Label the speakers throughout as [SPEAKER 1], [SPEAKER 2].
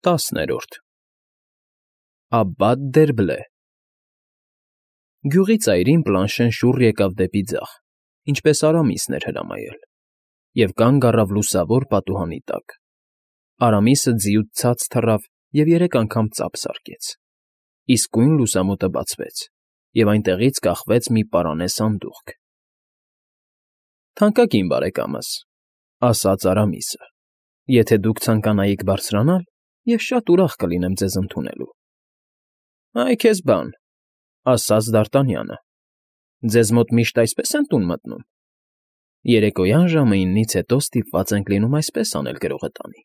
[SPEAKER 1] 10 Աբբատ դերբլե Գյուղի ծայրին Պլանշեն շուռ եկավ դեպի ձախ, ինչպես Արամիսն էր հրամայել, և կանգ առավ լուսավոր պատուհանի տակ. Արամիսը ձիուց ցած թռավ և 3 անգամ ծափ զարկեց. իսկույն լուսամուտը բացվեց, և այնտեղից կախվեց մի պարանե սանդուղք։ «Թանկագին բարեկամս,֊ ասաց Արամիսը,֊ եթե դուք ցանկանայիք բարձրանալ, ես շատ ուրախ կլինեմ ձեզ ընդունելու»։ «Այ քեզ բան,֊ ասաց Դարտանյանը,֊ ձեզ մոտ միշտ այսպես են տուն մտնում։ Երեկոյան ժամը 9-ից հետո ստիպված ենք լինում այսպես անել գրողը տանի.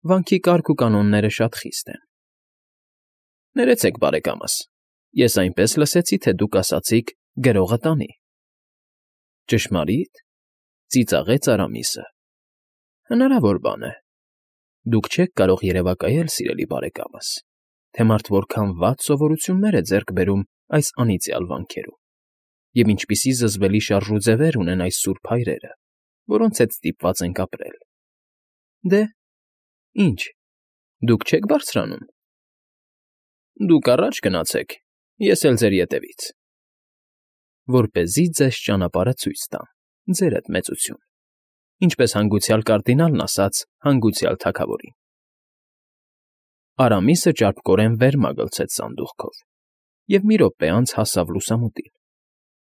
[SPEAKER 1] վանքի կարգ ու կանոնները շատ խիստ են»։ «Ներեցեք, բարեկամս, ես այնպես լսեցի, թե դուք ասացիք «գրողը տանի»։ Ճշմարի՞տ,֊ ծիծաղեց Արամիսը։ Հնարավոր բան է։ Դուք չեք կարող երևակայել, սիրելի բարեկամս, թե մարդ որքան վատ սովորություններ է ձեռք բերում այս անիծյալ վանքերում, և ինչպիսի զզվելի շարժուձևեր ունեն այս սուրբ հայրերը, որոնց հետ ստիպված ենք ապրել։ Դե, ի՞նչ, դուք չեք բարձրանում։ Դուք առաջ գնացեք, ես էլ ձեր ետևից։ Որպեսզի ձեզ ճանապարհը ցույց տամ, ձերդ մեծություն, ինչպես հանգուցյալ կարդինալն ասաց հանգուցյալ թագավորին։ Արամիսը ճարպկորեն վեր մագլցեց սանդուղքով, և մի րոպե անց հասավ լուսամուտին։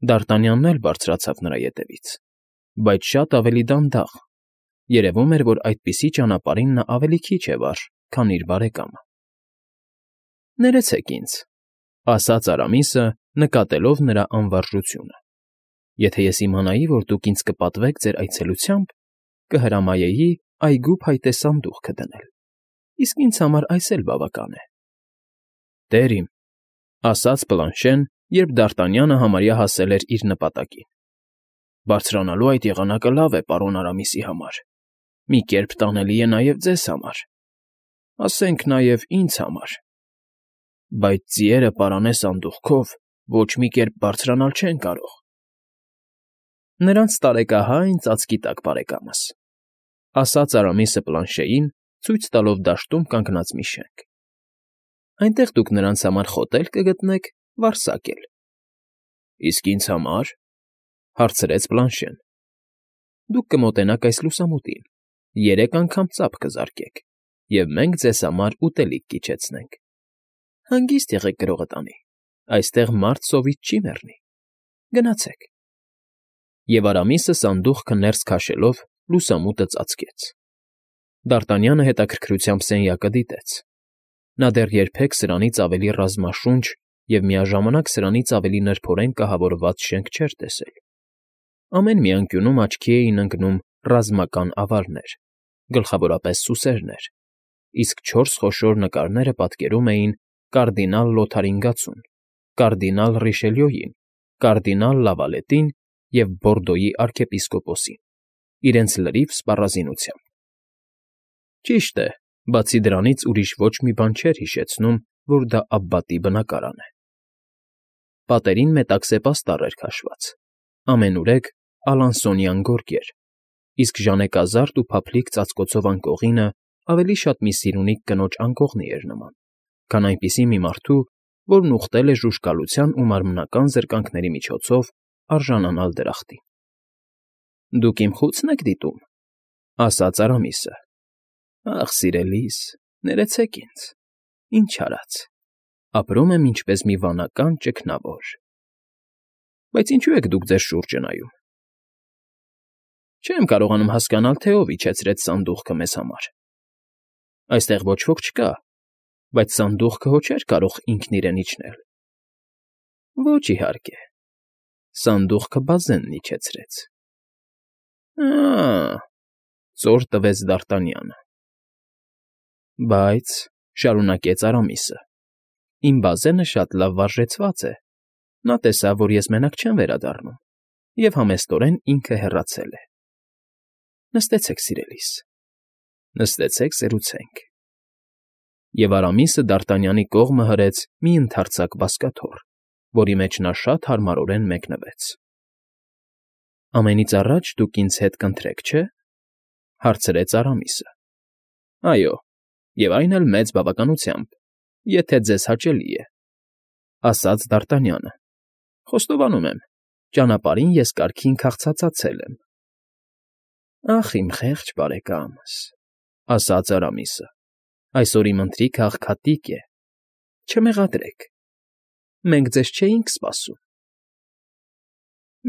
[SPEAKER 1] Դարտանյանն էլ բարձրացավ նրա ետևից, բայց շատ ավելի դանդաղ. երևում էր, որ այդպիսի ճանապարհին նա ավելի քիչ է վար, քան իր բարեկամը։ «Ներեցեք ինձ,֊ ասաց Արամիսը, նկատելով նրա անվարժությունը,֊ եթե ես իմանայի, որ դուք ինձ կպատվեք ձեր այցելությամբ, կհրամայեի այգու փայտե սանդուղքը դնել, իսկ ինձ համար այս էլ բավական է»։ «Տեր իմ,֊ ասաց Պլանշեն, երբ Դարտանյանը համարյա հասել էր իր նպատակին,֊ բարձրանալու այդ եղանակը լավ է պարոն Արամիսի համար, մի կերպ տանելի է նաև ձեզ համար, ասենք նաև ինձ համար, բայց ձիերը պարանե սանդուղքով ոչ մի կերպ բարձրանալ չեն կարող»։ «Նրանց տարեկահայն ծածկի տակ, բարեկամս,֊ ասաց Արամիսը Պլանշեին, ցույց տալով դաշտում կանգնած մի շենք։ Այնտեղ դուք նրանց համար խոտ էլ կգտնեք, վարսակ էլ»։ «Իսկ ինձ համար,֊ հարցրեց Պլանշեն։ Դուք կմոտենաք այս լուսամուտին, 3 անգամ ծափ կզարկեք, և մենք ձեզ համար ուտելիք կիջեցնենք։ Հանգիստ եղեք գրողը տանի, այստեղ մարդ սովից չի մեռնի։ Գնացեք»։ Եվ Արամիսը սանդուղքը ներս քաշելով լուսամուտը ծածկեց։ Դարտանյանը հետաքրքրությամբ սենյակը դիտեց։ Նա դեռ երբեք սրանից ավելի ռազմաշունչ և միաժամանակ սրանից ավելի նրբորեն կահավորված շենք չէր տեսել։ Ամեն մի անկյունում աչքի էին ընկնում ռազմական ավարներ, գլխավորապես սուսերներ, իսկ 4 խոշոր նկարները պատկերում էին կարդինալ Լոթարին Գացուն, կարդինալ Ռիշելյոյին, կարդինալ Լավալետին և Բորդոյի արքեպիսկոպոսին, իրենց լրիվ սպառազինությամբ։ Ճիշտ է, բացի դրանից ուրիշ ոչ մի բան չէր հիշեցնում, որ դա Աբբատի բնակարան է։ Պատերին մետաքսե պաստառ էր քաշված, ամենուրեք ալանսոնյան գորգեր, իսկ ժանեկազարդ ու փափլիկ ծածկոցով անկողինը ավելի շատ մի սիրունիկ կնոջ անկողնի էր նման, քան այնպիսի մի մարդու, որն ուխտել է ժուժկալության ու մարմնական զրկանքների միջոցով արժանանալ դրախտին։ «Դուք իմ խո՞ւցն եք դիտում,֊ ասաց Արամիսը։ Ախ, սիրելիս, ներեցեք ինձ, ինչ արած, ապրում եմ ինչպես մի վանական ճգնավոր։ Բայց ինչու եք դուք ձեր շուրջը նայում։ Չեմ կարողանում հասկանալ, թե ով իջեցրեց սանդուղքը մեզ համար։ Այստեղ ոչ ոք չկա, բայց սանդուղքը հո չէր կարող ինքն իրեն իջնել։ Ոչ, իհարկե, սանդուղքը բազենն իջեցրեց։ Ա՜, ծոր տվեց Դարտանյանը։ Բայց,֊ շարունակեց Արամիսը,֊ իմ բազենը շատ լավ վարժեցված է, նա տեսավ, որ ես մենակ չեմ վերադառնում, և համեստորեն ինքը հեռացել է։ Նստեցեք, սիրելիս, նստեցեք, սերուցենք։ Եվ Արամիսը Դարտանյանի կողմը հրեց մի ընդարձակ բազկաթոռ, որի մեջ նա շատ հարմարորեն մեկնվեց։ «Ամենից առաջ դուք ինձ հետ կընթրեք, չէ՞, հարցրեց Արամիսը։ Այո, Եվ այն էլ մեծ բավականությամբ, եթե ձեզ հաճելի է, ասաց Դարտանյանը։ Խոստովանում եմ, ճանապարհին ես կարգին քաղցածացել եմ։ Ախ, իմ խեղճ բարեկամս, ասաց Արամիսը, այսօր իմ ընթրիքը աղքատիկ է, չմեղադրեք, մենք ձեզ չէինք սպասում։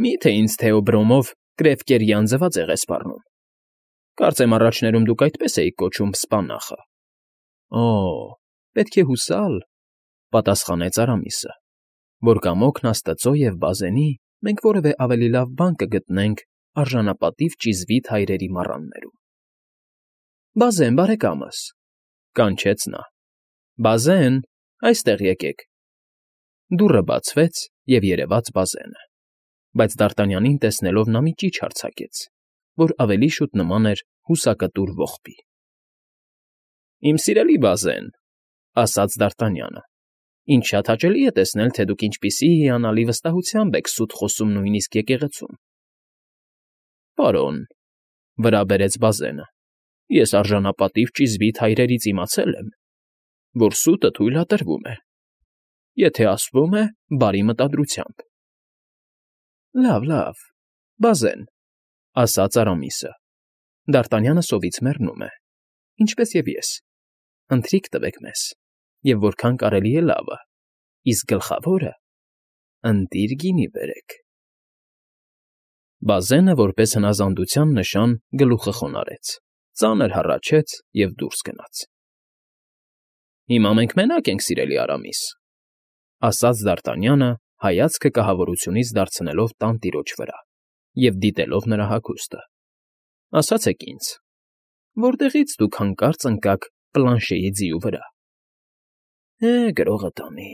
[SPEAKER 1] Մի՞թե ինձ Թեոբրոմով Կրևկերյան ձվածեղ է սպառնում։ Կարծեմ առաջներում դուք այդպես էիք կոչում Սպանախը։ Օ, պետք է հուսալ, պատասխանեց Արամիսը, որ կամոքն աստծո և բազենի մենք որևէ ավելի լավ բան կգտնենք արժանապատիվ ճիզվիթ հայրերի մառաններում։ Բազեն, բարեկամս, կանչեց նա։ Բազեն, այստեղ եկեք։ Դուռը բացվեց և երևաց Բազենը, բայց Դարտանյանին տեսնելով նա մի ճիչ արձակեց, որ ավելի շուտ նման էր հուսակտուր ողբի։ Իմ սիրելի Բազեն, ասաց Դարտանյանը, ինձ շատ հաճելի է տեսնել, թե դուք ինչպիսի հիանալի վստահությամբ եք սուտ խոսում նույնիսկ եկեղեցում։ Պարոն, վրա բերեց Բազենը, ես արժանապատիվ ճիզվիթ հայրերից իմացել եմ, որ սուտը թույլատրվում է, եթե ասվում է բարի մտադրությամբ։ Լավ, Բազեն, ասաց Արամիսը, Դարտանյանը սովից մեռնում է, ինչպես և ես, ընթրիք տվեք մեզ, և որքան կարելի է լավը, իսկ գլխավորը ընտիր գինի բերեք։ Բազենը, որպես հնազանդության նշան, գլուխը խոնարհեց, ծանր հառաչեց և դուրս գնաց։ Հիմա մենք մենակ ենք, սիրելի Արամիս, ասաց Դարտանյանը, հայացքը կահավորությունից դարձնելով տանտիրոջ վրա և դիտելով նրա հագուստը։ Ասացեք ինձ, որտեղից դուք հանկարծ ընկաք Պլանշեի ձիու վրա։ Գրողը տանի,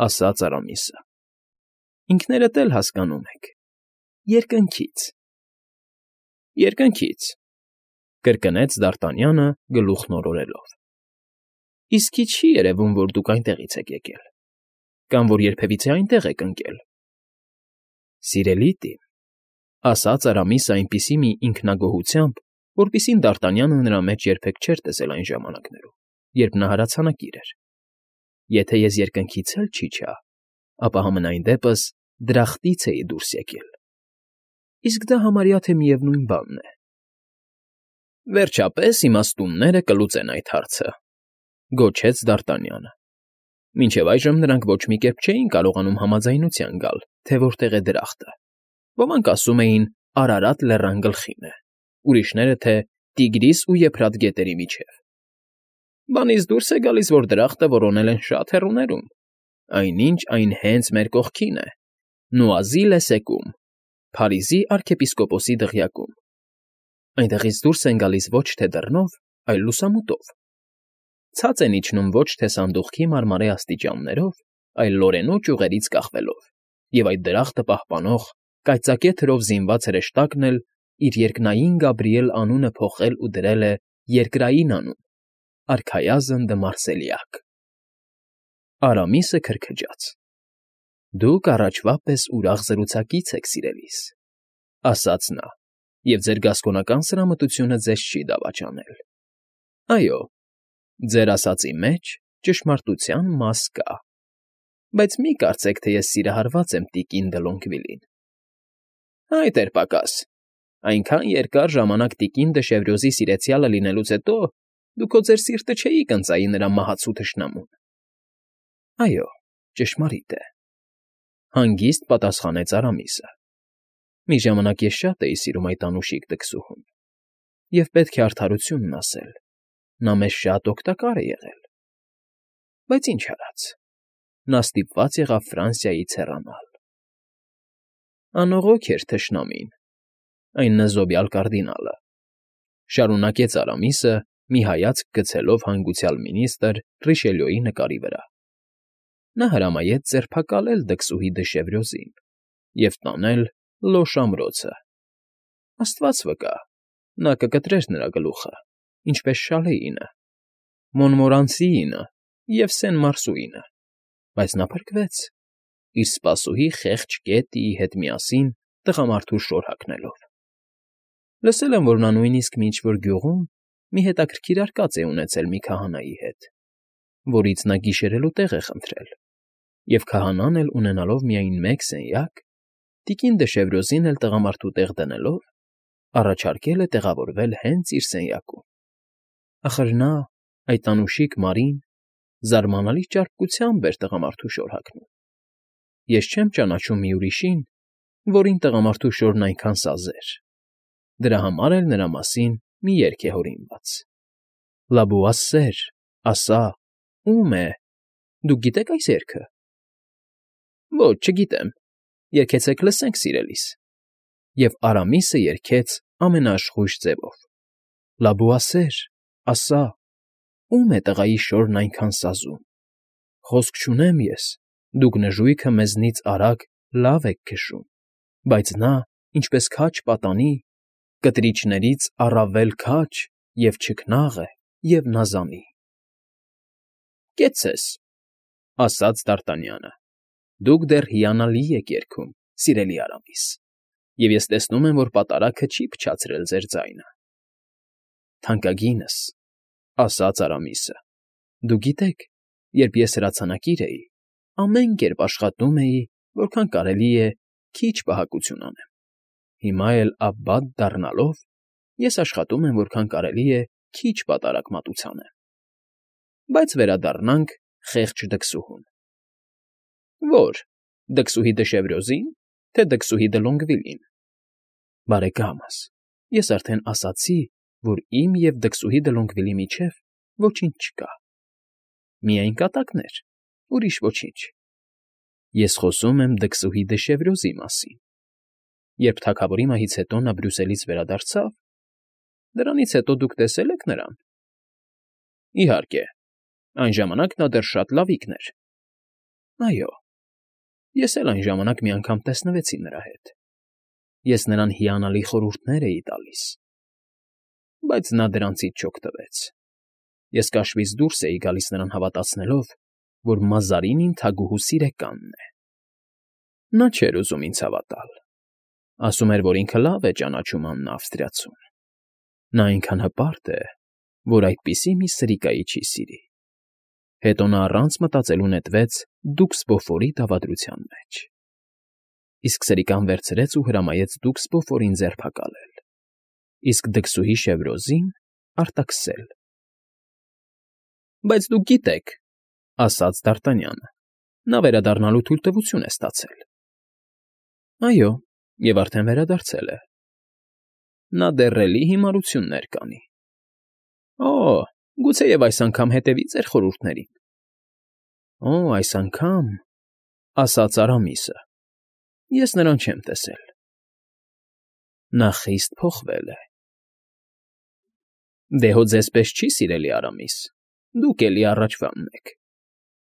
[SPEAKER 1] ասաց Արամիսը։ Ինքներդ էլ հասկանում եք, երկնքից։ Երկնքից, կրկնեց Դարտանյանը գլուխն օրորելով։ Իսկի չի երևում, որ դուք այնտեղից եք եկել, կամ որ երբևիցե այնտեղ եք ընկել։ Սիրելի տին, ասաց Արամիսը այնպիսի մի ինքնագոհությամբ, որպիսին Դարտանյանը նրա մեջ երբեք չէր տեսել այն ժամանակներում, երբ նա հրացանակիր էր։ Եթե ես երկնքից էլ չիջա, ապա համենայն դեպս դրախտից էի դուրս եկել։ Իսկ դա համարյա թե միևնույն բանն է։ Վերջապես իմաստունները կլուծեն այդ հարցը, գոչեց Դարտանյանը։ Մինչև այժմ նրանք ոչ մի կերպ չէին կարողանում համաձայնության գալ, թե որտեղ է դրախտը։ Ոմանք ասում էին Արարատ լեռան գլխին է, ուրիշները, թե Տիգրիս ու Եփրատ գետերի միջև։ Բանից դուրս է գալիս, որ դրախտը որոնել են շատ հեռուներում, այնինչ այն հենց մեր կողքին է, Նուազի լեսեկում, Փարիզի արքեպիսկոպոսի դղյակում։ Այնտեղից դուրս են գալիս ոչ թե դռնով, այլ լուսամուտով։ Ցած են իջնում ոչ թե սանդուղքի մարմարե աստիճաններով, այլ Լորենո ճյուղերից կախվելով, և այդ դրախտը պահպանող կայծակե թրով զինված հրեշտակն էլ իր երկնային Գաբրիել անունը փոխել ու դրել է երկրային անուն՝ Արքայազն դը Մարսելիակ։ Արամիսը քրքջաց։ Դուք առաջվա պես ուրախ զրուցակից եք, սիրելիս, ասաց նա, և ձեր գասկոնական սրամտությունը ձեզ չի դավաճանել։ Այո, ձեր ասածի մեջ ճշմարտության մաս կա, բայց մի կարծեք, թե ես սիրահարված եմ տիկին Դլոնգվիլին։ Այդ էր պակաս, այնքան երկար ժամանակ տիկին Դշևրյոզի սիրեցյալը լինելուց հետո դուք քո ձեր սիրտը չէիք ընծայի նրա մահացու թշնամուն։ Այո, ճշմարիտ է, հանգիստ պատասխանեց Արամիսը։ Մի ժամանակ ես շատ էի սիրում այդ անուշիկ տկսուհուն, և պետք է արդարությունն ասել, նա մեզ շատ օգտակար է եղել։ Բայց ինչ արած, նա ստիպված եղավ Ֆրանսիայից հեռանալ։ Անողոք էր թշնամին, այն նզոբյալ կարդինալը, շարունակեց Արամիսը, մի հայացք գցելով հանգուցյալ մինիստրը Ռիշելյոյի նկարի վրա։ Նա հրամայեց ձերբակալել դքսուհի Դշևրյոզին և տանել Լոշ ամրոցը։ Աստված վկա, նա կկտրեր նրա գլուխը, ինչպես Շալեինը, Մոնմորանսիինը և Սեն֊Մարսուինը, բայց նա փրկվեց, իր սպասուհի խեղճ Կետիի հետ միասին տղամարդու շոր հագնելով։ Լսել եմ, որ նա նույնիսկ մի ինչ֊որ գյուղում մի հետաքրքիր արկած է ունեցել մի քահանայի հետ, որից նա գիշերելու տեղ է խնդրել, և քահանան էլ ունենալով միայն մեկ սենյակ, տիկին Դեշևրոզին էլ տղամարդու տեղ դնելով, առաջարկել է տեղավորվել հենց իր սենյակում։ Ախր նա, այդ անուշիկ Մարին, զարմանալի ճարպկությամբ էր տղամարդու շոր հագնում։ Ես չեմ ճանաչում մի ուրիշին, որին տղամարդու շորն այնքան սազեր։ Դրա համար էլ նրա մասին մի երգ է հորինված. «Լաբուասեր, ասա, ո՞ւմ է, դուք գիտեք այս երգը»։ Ոչ, չգիտեմ, երգեցեք լսենք, սիրելիս։ Եվ Արամիսը երգեց ամենաաշխույժ ձևով. «Լաբուասեր, ասա, ո՞ւմ է տղայի շորն այնքան սազում։ Խոսք չունեմ ես, դուք նժույգը մեզնից արագ լավ եք քշում, բայց նա, ինչպես քաջ պատանի, կտրիչներից առավել քաջ և չքնաղ է, և նազանի»։ «Կեցցես», ասաց Դ'Արտանյանը, «դուք դեռ հիանալի եք երգում, սիրելի Արամիս, և ես տեսնում եմ, որ պատարագը չի փչացրել ձեր ձայնը»։ «Թանկագինս», ասաց Արամիսը, «դուք գիտեք, երբ ես հրացանակիր էի, ամեն կերպ աշխատում էի, որքան կարելի է քիչ պահակություն անեմ։ Հիմա էլ Աբբատ դառնալով, ես աշխատում եմ, որքան կարելի է քիչ պատարագ մատուցանեմ։ Բայց վերադառնանք խեղճ դքսուհուն»։ «Ո՞ր, դքսուհի Դեշևրոզի՞ն, թե դքսուհի դը Լոնգվիլին»։ «Բարեկամս, ես արդեն ասացի, որ իմ և դքսուհի դը Լոնգվիլի միջև ոչինչ չկա։ Միայն կատակներ, ուրիշ ոչինչ։ Ես խոսում եմ դքսուհի Դեշևրոզի մասին։ Երբ թագավորի մահից հետո նա Բրյուսելից վերադարձավ, դրանից հետո դուք տեսե՞լ եք նրան»։ «Իհարկե, այն ժամանակ նա դեռ շատ լավիկն էր»։ «Այո, ես էլ այն ժամանակ մի անգամ տեսնվեցի նրա հետ։ Ես նրան հիանալի խորհուրդներ էի տալիս, բայց նա դրանցից չօգտվեց։ Ես կաշվից դուրս էի գալիս նրան հավատացնելով, որ Մազարինին թագուհու սիրեկանն է։ Նա չէր ուզում ինձ հավատալ։ Ասում էր, որ ինքը լավ է ճանաչում Աննա Ավստրիացուն։ Նա այնքան հպարտ է, որ այդպիսի մի սրիկայի չի սիրի։ Հետո նա առանց մտածելու նետվեց դուքս Բոֆորի դավադրության մեջ։ Իսկ սրիկան վերցրեց ու հրամայեց դուքս Բոֆորին ձերբակալել, իսկ դքսուհի Շևրոզին արտաքսել»։ «Բայց դուք գիտեք», ասաց Դ'Արտանյանը, «նա վերադառնալու թույլտվություն է ստացել»։ «Այո, և արդեն վերադարձել է։ Նա դեռ էլի հիմարություններ կանի»։ «Օ, գուցեև այս անգամ հետևի ձեր խորհուրդներին»։ «Օ, այս անգամ», ասաց Արամիսը, «ես նրան չեմ տեսել։ Նա խիստ փոխվել է»։ «Դե հո ձեզպես չի, սիրելի Արամիս, դուք էլի առաջվանն եք։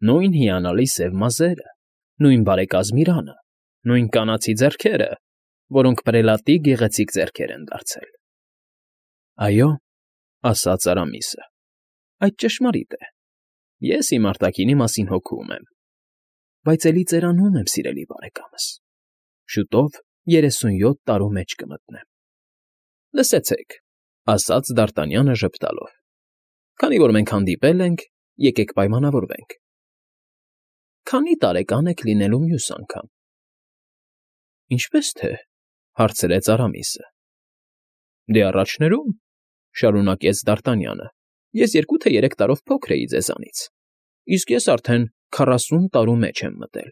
[SPEAKER 1] Նույն հիանալի սև մազերը, նույն բարեկազմ իրանը, նույն կանացի ձեռքերը, որոնք պրելատի գեղեցիկ ձեռքեր են դարձել»։ «Այո», ասաց Արամիսը, «այդ ճշմարիտ է։ Ես իմ արտաքինի մասին հոգում եմ, բայց էլի ծերանում եմ, սիրելի բարեկամս։ Շուտով 37 տարու մեջ կմտնեմ»։ «Լսեցեք», ասաց Դ'Արտանյանը ժպտալով, «քանի որ մենք հանդիպել ենք, եկեք պայմանավորվենք։ Քանի տարեկան եք լինելու մյուս անգամ»։ «Ինչպես թե», հարցրեց Արամիսը։ «Դե առաջներում», շարունակեց Դ'Արտանյանը, «ես 2 թե 3 տարով փոքր էի ձեզանից, իսկ ես արդեն 40 տարու մեջ եմ մտել»։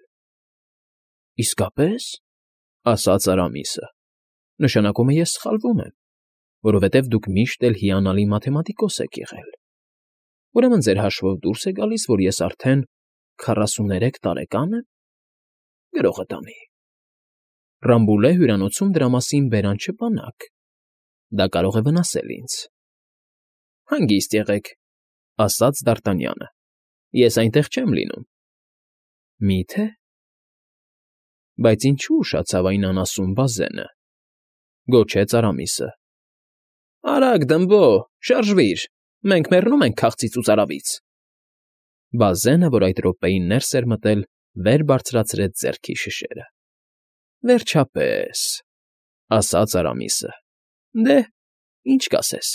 [SPEAKER 1] «Իսկապես», ասաց Արամիսը, «նշանակում է ես սխալվում եմ, որովհետև դուք միշտ էլ հիանալի մաթեմատիկոս եք եղել։ Ուրեմն ձեր հաշվով դուրս է գալիս, որ ես արդեն 43 տարեկան եմ։ Գրողը տանի։ Ռամբուլե հյուրանոցում դրա մասին բերան չպանաք։ Դա կարող է վնասել ինձ»։ «Հանգիստ եղեք», ասաց Դ'Արտանյանը, «ես այնտեղ չեմ լինում»։ «Մի՞թե»։ «Բայց ինչու ուշացավ այն անասուն բազենը», գոչեց Արամիսը։ «Արագ, դմբո, շարժվիր, մենք մեռնում ենք քաղցից ու ծարավից»։ Բազենը, որ այդ րոպեին ներս էր մտել, վեր բարձրացրեց ձեռքի շշերը։ «Վերջապես», ասաց Արամիսը, «դե, ինչ կասես»։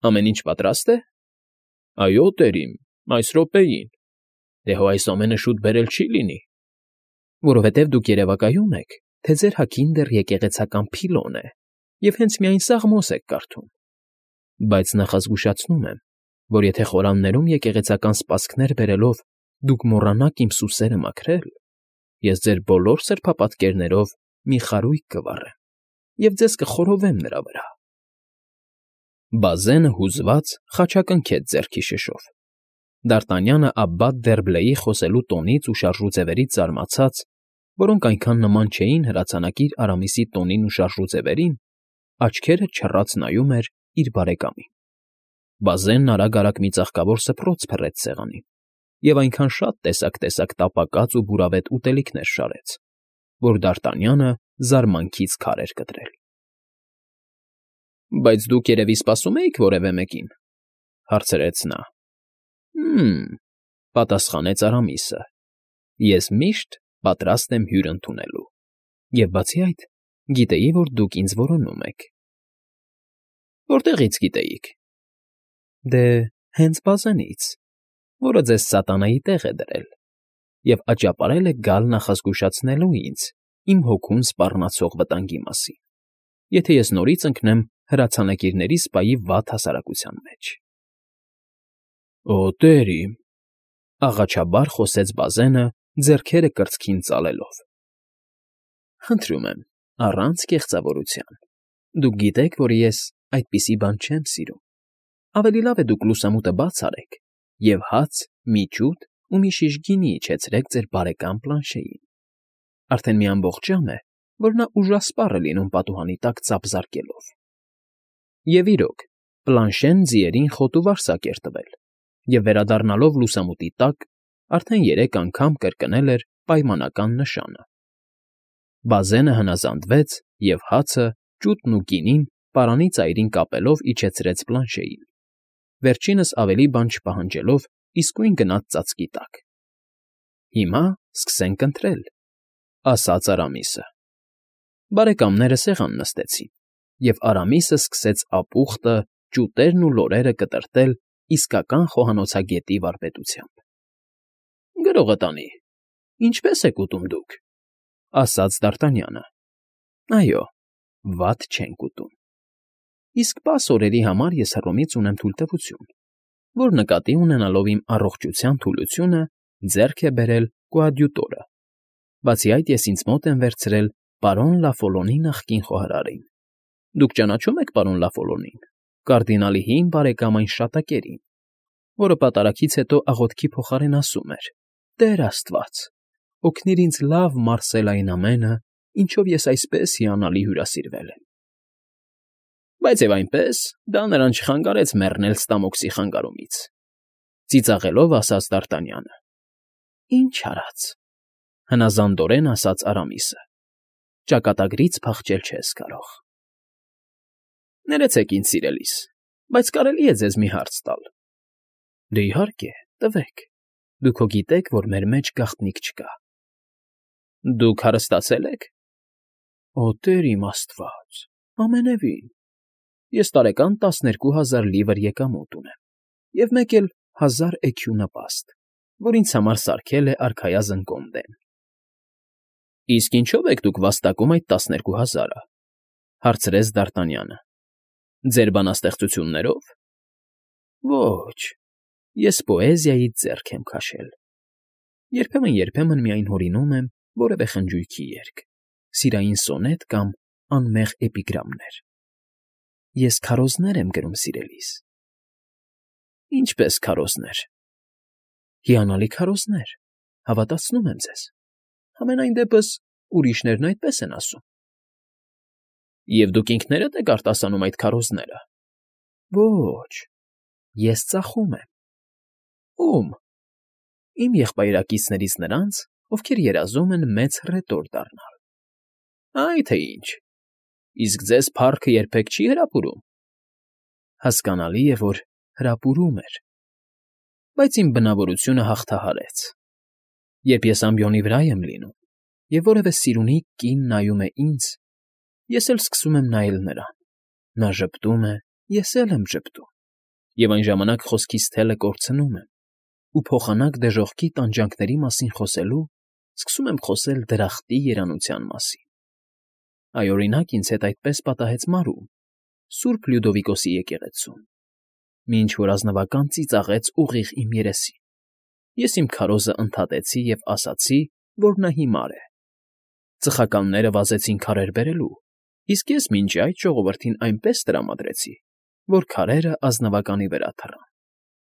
[SPEAKER 1] Ամեն ինչ պատրաստ է։ Այո, տերիմ, այս րոպեին։ Դե հո այս ամենը շուտ բերել չի լինի։ Որովհետև դուք երևակայում եք, թե ձեր հագին դեռ եկեղեցական փիլոն է, և հենց միայն սաղմոս եք կարդում։ Բայց նախազգուշացնում եմ, որ եթե խորաններում եկեղեցական սպասքներ բերելով դուք մոռանաք իմ սուսերը մաքրել, ես ձեր բոլոր սրբապատկերներով մի խարույկ կվառեմ և ձեզ կխորովեմ նրա վրա։ Բազենը հուզված խաչակնքեց ձեռքի շշով։ Դ'Արտանյանը Աբբատ Դերբլեի խոսելու տոնից ու շարժուձևերից զարմացած, որոնք այնքան նման չէին հրացանակիր Արամիսի տոնին ու շարժուձևերին, աչքերը չռած նայում էր իր բարեկամին։ Բազենն արագ մի ծաղկավոր սփռոց փռեց սեղանին և այնքան շատ տեսակ տապակած ու բուրավետ ուտելիքներ շարեց, որ Դ'Արտանյանը զարմանքից քար էր կտրել։ ֊ Բայց դուք երևի սպասում էիք որևէ մեկին,֊ հարցրեց նա։ ֊ պատասխանեց Արամիսը,֊ ես միշտ պատրաստ եմ հյուր ընդունելու, և բացի այդ, գիտեի, որ դուք ինձ որոնում եք։ ֊ Որտեղի՞ց գիտեիք։ ֊ Դե, հենց Բազենից, որը ձեզ սատանայի տեղ է դրել և աճապարել է գալ նախազգուշացնելու ինձ իմ հոգուն սպառնացող վտանգի մասին, եթե ես նորից ընկնեմ հրացանակիրների սպայի վատ հասարակության մեջ։ ֊ Օ, տերիմ,֊ աղաչաբար խոսեց Բազենը, ձեռքերը կրծքին ծալելով,֊ խնդրում եմ, առանց կեղծավորության, դուք գիտեք, որ ես այդպիսի բան չեմ սիրում, ավելի լավ է դուք լուսամուտը բաց արեք և հաց, մի ջուտ ու մի շիշ գինի իջեցրեք ձեր բարեկամ Պլանշեին. արդեն մի ամբողջ ժամ է, որ նա ուժասպառ է լինում պատուհանի տակ ծափ զարկելով։ Եվ իրոք, Պլանշեն ձիերին խոտ ու վարսակ էր տվել և, վերադառնալով լուսամուտի տակ, արդեն 3 անգամ կրկնել էր պայմանական նշանը։ Բազենը հնազանդվեց և հացը, ջուտն ու գինին պարանի ծայրին կապելով իջեցրեց Պլանշեին, վերջինս ավելի բան չպահանջելով իսկույն գնաց ծածկի տակ։ ֊ Հիմա սկսենք ընթրել,֊ ասաց Արամիսը։ Բարեկամները սեղան նստեցին, և Արամիսը սկսեց ապուխտը, ջուտերն ու լորերը կտրատել իսկական խոհանոցագետի վարպետությամբ։ ֊ Գրողը տանի, ինչպե՞ս եք ուտում դուք,֊ ասաց Դ'Արտանյանը։ ֊ Այո, վատ չենք ուտում։ Իսկ պաս օրերի համար ես Հռոմից ունեմ թույլտվություն, որ նկատի ունենալով իմ առողջության թուլությունը ձեռք է բերել կոադյուտորը։ Բացի այդ, ես ինձ մոտ եմ վերցրել պարոն Լա Ֆոլոնի նախկին խոհարարին։ Դուք ճանաչո՞ւմ եք պարոն Լա Ֆոլոնին, կարդինալի հին բարեկամ այն շատակերին, որը պատարագից հետո աղոթքի փոխարեն ասում էր. «Տեր Աստված, օգնիր ինձ լավ մարսել այն ամենը, ինչով ես այսպես հիանալի հյուրասիրվել եմ»։ ֊ Բայց և այնպես, դա նրան չխանգարեց մեռնել Ստամոքսի խանգարումից,֊ ծիծաղելով ասաց Դ'Արտանյանը։ ֊ Ինչ արած,֊ հնազանդորեն ասաց Արամիսը,֊ ճակատագրից փախչել չես կարող։ ֊ Ներեցեք ինձ, սիրելիս, բայց կարելի է ձեզ մի հարց տալ։ ֊ Դե, իհարկե, տվեք, դուք հո գիտեք, որ մեր մեջ գաղտնիք չկա։ ֊ Դուք հարստացե՞լ եք։ ֊ Օ, տեր իմ Աստված, ամենևին։ Ես տարեկան 12,000 լիվր եկամուտ ունեմ և մեկ էլ 1000 էքյու նպաստ, որ ինձ համար սարքել է արքայազն Կոնդեն։ ֊ Իսկ ինչո՞վ եք դուք վաստակում այդ 12,000-ը,֊ հարցրեց Դ'Արտանյանը։ ֊ Ձեր բանաստեղծություններով։ ֊ Ոչ, ես պոեզիայից ձեռք եմ քաշել։ Երբեմն միայն հորինում եմ որևէ խնջույքի երգ, սիրային սոնետ կամ անմեղ էպիգրամներ։ Ես քարոզներ եմ գրում, սիրելիս։ ֊ Ինչպե՞ս քարոզներ։ ֊ Հիանալի քարոզներ, հավատացնում եմ ձեզ։ Համենայն դեպս ուրիշներն այդպես են ասում։ ֊ Եվ դուք ինքներդ եք արտասանում այդ քարոզները։ ֊ Ոչ, ես ծախում եմ։ ֊ Ո՞ւմ։ ֊ Իմ եղբայրակիցներից նրանց, ովքեր երազում են մեծ հռետոր դառնալ։ ֊ Այ թե ինչ։ Իսկ ձեզ փառքը երբեք չի հրապուրում։ ֊ Հասկանալի է, որ հրապուրում էր, բայց իմ բնավորությունը հաղթահարեց։ Երբ ես ամբիոնի վրա եմ լինում, և որևէ սիրունի կին նայում է ինձ, ես էլ սկսում եմ նայել նրան. նա ժպտում է, ես էլ եմ ժպտում, Եվ այն ժամանակ խոսքիս թելը կորցնում եմ ու փոխանակ դժոխքի տանջանքների մասին խոսելու սկսում եմ խոսել դրախտի երանության մասին։ Այ, օրինակ, ինձ հետ այդպես պատահեց Մարում, Սուրբ Լյուդովիկոսի եկեղեցում, մինչ որ ազնվական ծիծաղեց ուղիղ իմ երեսին։ Ես իմ քարոզը ընդհատեցի և ասացի, որ նա հիմար է։ Ծխականները վազեցին քարեր բերելու, իսկ ես մինչ այդ ժողովրդին այնպես տրամադրեցի, որ քարերը ազնվականի վրա թռան։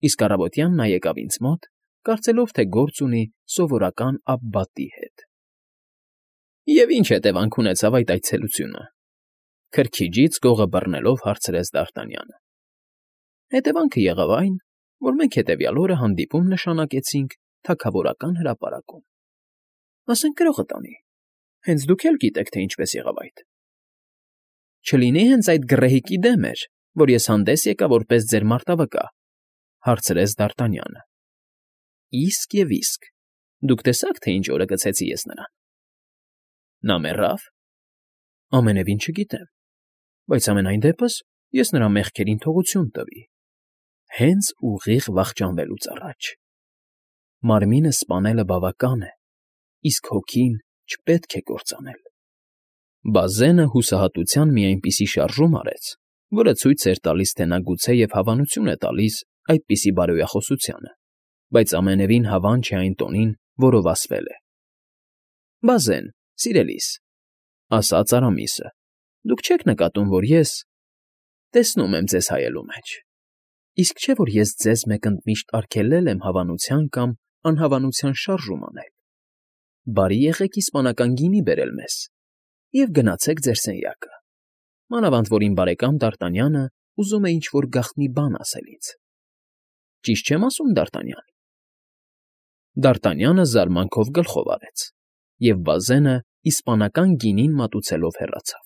[SPEAKER 1] Իսկ առավոտյան նա եկավ ինձ մոտ, կարծելով, թե գործ ունի սովորական Աբբատի հետ։ Եվ ինչ հետևանք ունեցավ այդ այցելությունը, քրքիջից գողը բռնելով հարցրեց Դ'Արտանյանը։ Հետևանքը եղավ այն, որ մենք հետևյալ օրը հանդիպում նշանակեցինք թագավորական հրապարակում։ Ասենք գրողը տանի, հենց դուք էլ գիտեք, թե ինչպես եղավ այդ։ Չլինի հենց այդ գռեհիկի դեմ էր, որ ես հանդես եկա որպես ձեր մարտավկա, հարցրեց Դ'Արտանյանը։ Իսկ և իսկ, դուք տեսաք, թե ինչ օրը գցեցի ես նրան։ Նա մեռավ։ Ամենևին չգիտեմ, բայց ամենայն դեպս ես նրա մեղքերին թողություն տվի, հենց ուղիղ վախճանվելուց առաջ։ Մարմինը սպանելը բավական է, իսկ հոգին չպետք է կործանել։ Բազենը հուսահատության մի այնպիսի շարժում արեց, որը ցույց էր տալիս, թե նա գուցե և հավանություն է տալիս այդպիսի բարոյախոսությանը, բայց ամենևին հավան չէ այն տոնին, որով ասվել է։ Բազեն, սիրելիս, ասաց Արամիսը, դուք չեք նկատում, որ ես տեսնում եմ ձեզ հայելու մեջ, իսկ չէ՞ որ ես ձեզ մեկընդմիշտ արգելել եմ հավանության կամ անհավանության շարժում անել։ Բարի եղեք իսպանական գինի բերել մեզ և գնացեք ձեր սենյակը, մանավանդ որ իմ բարեկամ Դ'Արտանյանը ուզում է ինչ֊որ գաղտնի բան ասել ինձ։ Ճիշտ չեմ ասում, Դ'Արտանյան։ Դ'Արտանյանը զարմանքով գլխով արեց, և Բազենը իսպանական գինին մատուցելով հեռացավ։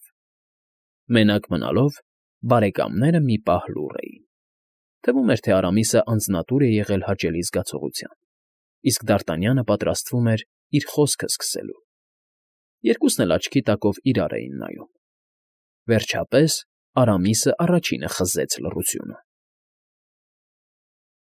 [SPEAKER 1] Մենակ մնալով բարեկամները մի պահ լուռ էին։ Թվում էր, թե Արամիսը անձնատուր է եղել հաճելի զգացողության, իսկ Դ'Արտանյանը պատրաստվում էր իր խոսքը սկսելու։ Երկուսն էլ աչքի տակով իրար էին նայում։ Վերջապես Արամիսը առաջինը խզեց լռությունը։